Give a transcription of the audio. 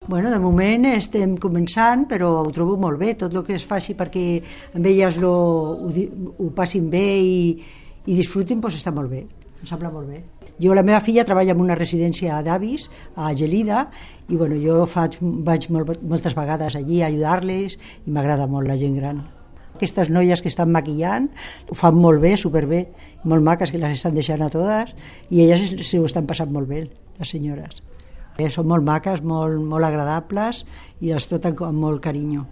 Bueno, de moment estem començant, però ho trobo molt bé. Tot el que es faci perquè amb elles ho passin bé i disfrutin, doncs està molt bé. Em sembla molt bé. Jo, la meva filla treballa en una residència d'avis a Gelida i bueno, jo vaig moltes vegades allí a ajudar-les i m'agrada molt la gent gran. Aquestes noies que estan maquillant ho fan molt bé, superbé, molt maques, que les estan deixant a totes i elles s'ho estan passant molt bé, les senyores. Són molt maques, molt agradables i les traten amb molt carinyo.